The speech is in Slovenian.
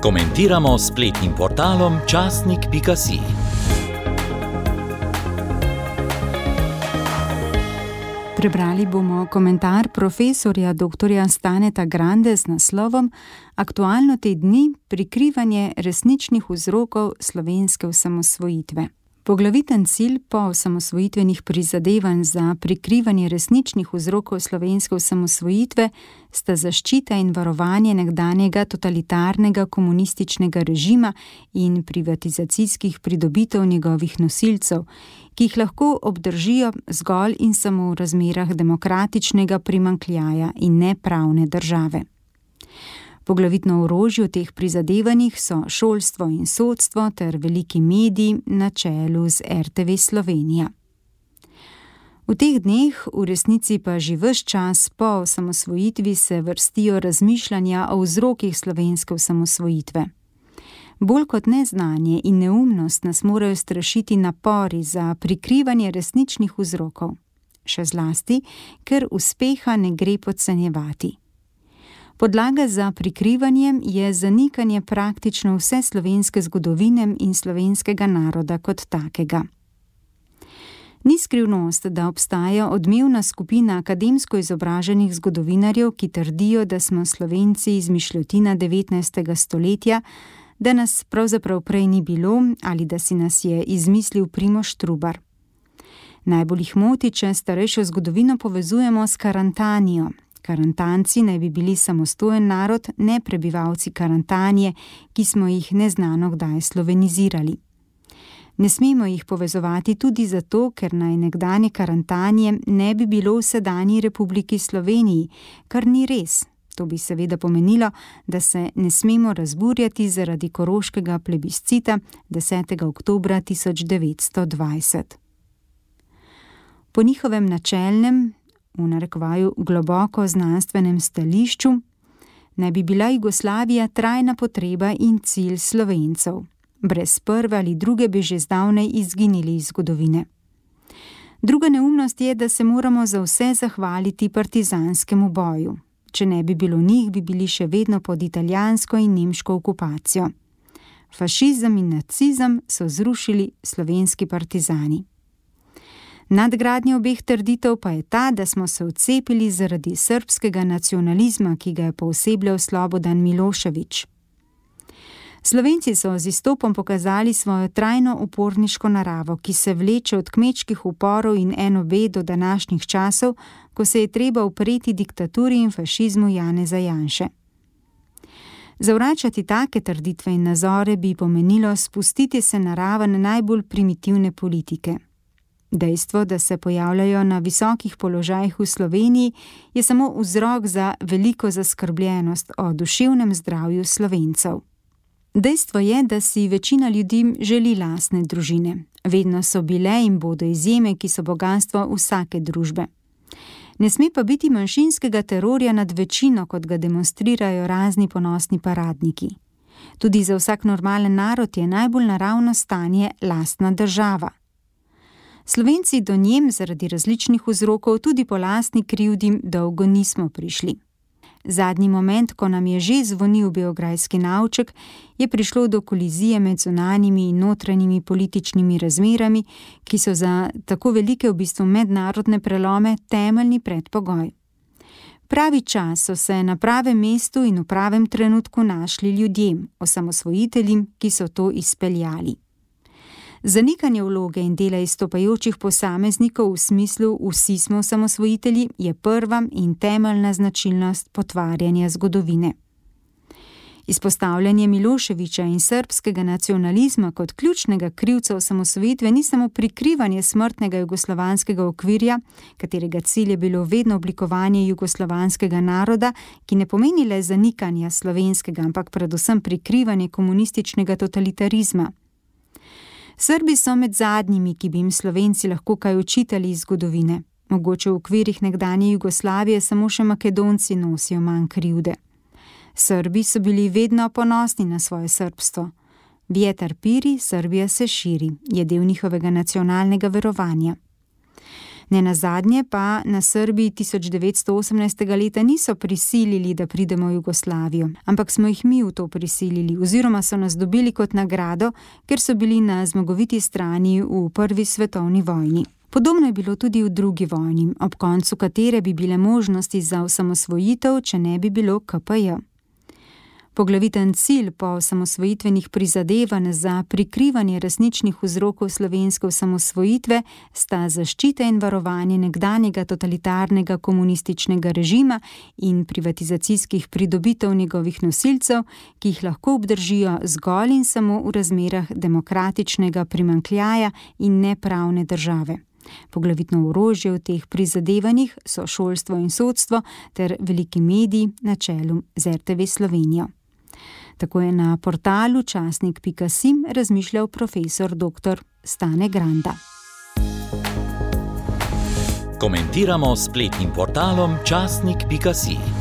Komentiramo s spletnim portalom časnik.si. Prebrali bomo komentar profesorja dr. Staneta Grande z naslovom Aktualno te dni – prikrivanje resničnih vzrokov slovenske osamosvojitve. Poglaviten cilj po osamosvojitvenih prizadevanj za prikrivanje resničnih vzrokov slovenske osamosvojitve sta zaščita in varovanje nekdanjega totalitarnega komunističnega režima in privatizacijskih pridobitev njegovih nosilcev, ki jih lahko obdržijo zgolj in samo v razmerah demokratičnega primanjkljaja in nepravne države. Poglavitno orožje v teh prizadevanjih so šolstvo in sodstvo ter veliki mediji na čelu z RTV Slovenija. V teh dneh, v resnici pa že ves čas po osamosvojitvi, se vrstijo razmišljanja o vzrokih slovenske osamosvojitve. Bolj kot neznanje in neumnost nas morajo strašiti napori za prikrivanje resničnih vzrokov. Še zlasti, ker uspeha ne gre podcenjevati. Podlaga za prikrivanje je zanikanje praktično vse slovenske zgodovine in slovenskega naroda kot takega. Ni skrivnost, da obstaja odmevna skupina akademsko izobraženih zgodovinarjev, ki trdijo, da smo Slovenci izmišljotina 19. stoletja, da nas pravzaprav prej ni bilo ali da si nas je izmislil Primož Trubar. Najbolj jih moti, če starejšo zgodovino povezujemo s Karantanijo. Karantanci naj bi bili samostojen narod, ne prebivalci Karantanije, ki smo jih neznano kdaj slovenizirali. Ne smemo jih povezovati tudi zato, ker naj nekdanje Karantanije ne bi bilo v sedanji Republiki Sloveniji, kar ni res. To bi seveda pomenilo, da se ne smemo razburjati zaradi koroškega plebiscita 10. oktobra 1920. Po njihovem načelnem, v narekovaju globoko znanstvenem stališču, naj bi bila Jugoslavija trajna potreba in cilj Slovencev. Brez prve ali druge bi že zdavnaj izginili iz zgodovine. Druga neumnost je, da se moramo za vse zahvaliti partizanskemu boju. Če ne bi bilo njih, bi bili še vedno pod italijansko in nemško okupacijo. Fašizem in nacizem so zrušili slovenski partizani. Nadgradnja obeh trditev pa je ta, da smo se odcepili zaradi srbskega nacionalizma, ki ga je poosebljal Slobodan Milošević. Slovenci so z izstopom pokazali svojo trajno uporniško naravo, ki se vleče od kmečkih uporov in NOB do današnjih časov, ko se je treba upreti diktaturi in fašizmu Janeza Janše. Zavračati take trditve in nazore bi pomenilo spustiti se na raven najbolj primitivne politike. Dejstvo, da se pojavljajo na visokih položajih v Sloveniji, je samo vzrok za veliko zaskrbljenost o duševnem zdravju Slovencev. Dejstvo je, da si večina ljudi želi lastne družine. Vedno so bile in bodo izjeme, ki so bogastvo vsake družbe. Ne sme pa biti manjšinskega terorja nad večino, kot ga demonstrirajo razni ponosni paradniki. Tudi za vsak normalen narod je najbolj naravno stanje lastna država. Slovenci do njem zaradi različnih vzrokov tudi po lastni krivdi dolgo nismo prišli. Zadnji moment, ko nam je že zvonil beograjski navček, je prišlo do kolizije med zunanjimi in notranjimi političnimi razmerami, ki so za tako velike v bistvu mednarodne prelome temeljni predpogoj. Pravi čas so se na pravem mestu in v pravem trenutku našli ljudem, osamosvojitelji, ki so to izpeljali. Zanikanje vloge in dela izstopajočih posameznikov v smislu vsi smo osamosvojitelji je prva in temeljna značilnost potvarjanja zgodovine. Izpostavljanje Miloševića in srbskega nacionalizma kot ključnega krivca osamosvojitve ni samo prikrivanje smrtnega jugoslovanskega okvirja, katerega cilj je bilo vedno oblikovanje jugoslovanskega naroda, ki ne pomeni le zanikanja slovenskega, ampak predvsem prikrivanje komunističnega totalitarizma. Srbi so med zadnjimi, ki bi jim Slovenci lahko kaj učitali iz zgodovine. Mogoče v okvirih nekdanje Jugoslavije samo še Makedonci nosijo manj krivde. Srbi so bili vedno ponosni na svoje srbstvo. Vjetar piri, Srbija se širi, je del njihovega nacionalnega verovanja. Nenazadnje pa na Srbiji 1918. leta niso prisilili, da pridemo v Jugoslavijo, ampak smo jih mi v to prisilili oziroma so nas dobili kot nagrado, ker so bili na zmagoviti strani v Prvi svetovni vojni. Podobno je bilo tudi v drugi vojni, ob koncu katere bi bile možnosti za osamosvojitev, če ne bi bilo KPJ. Poglaviten cilj po osamosvojitvenih prizadevanj za prikrivanje resničnih vzrokov slovenske osamosvojitve sta zaščita in varovanje nekdanjega totalitarnega komunističnega režima in privatizacijskih pridobitev njegovih nosilcev, ki jih lahko obdržijo zgolj in samo v razmerah demokratičnega primanjkljaja in nepravne države. Poglavitno orožje v teh prizadevanjih so šolstvo in sodstvo ter veliki mediji na čelu z RTV Slovenijo. Tako je na portalu časnik.si razmišljal profesor dr. Stane Granda. Komentiramo s spletnim portalom časnik.si.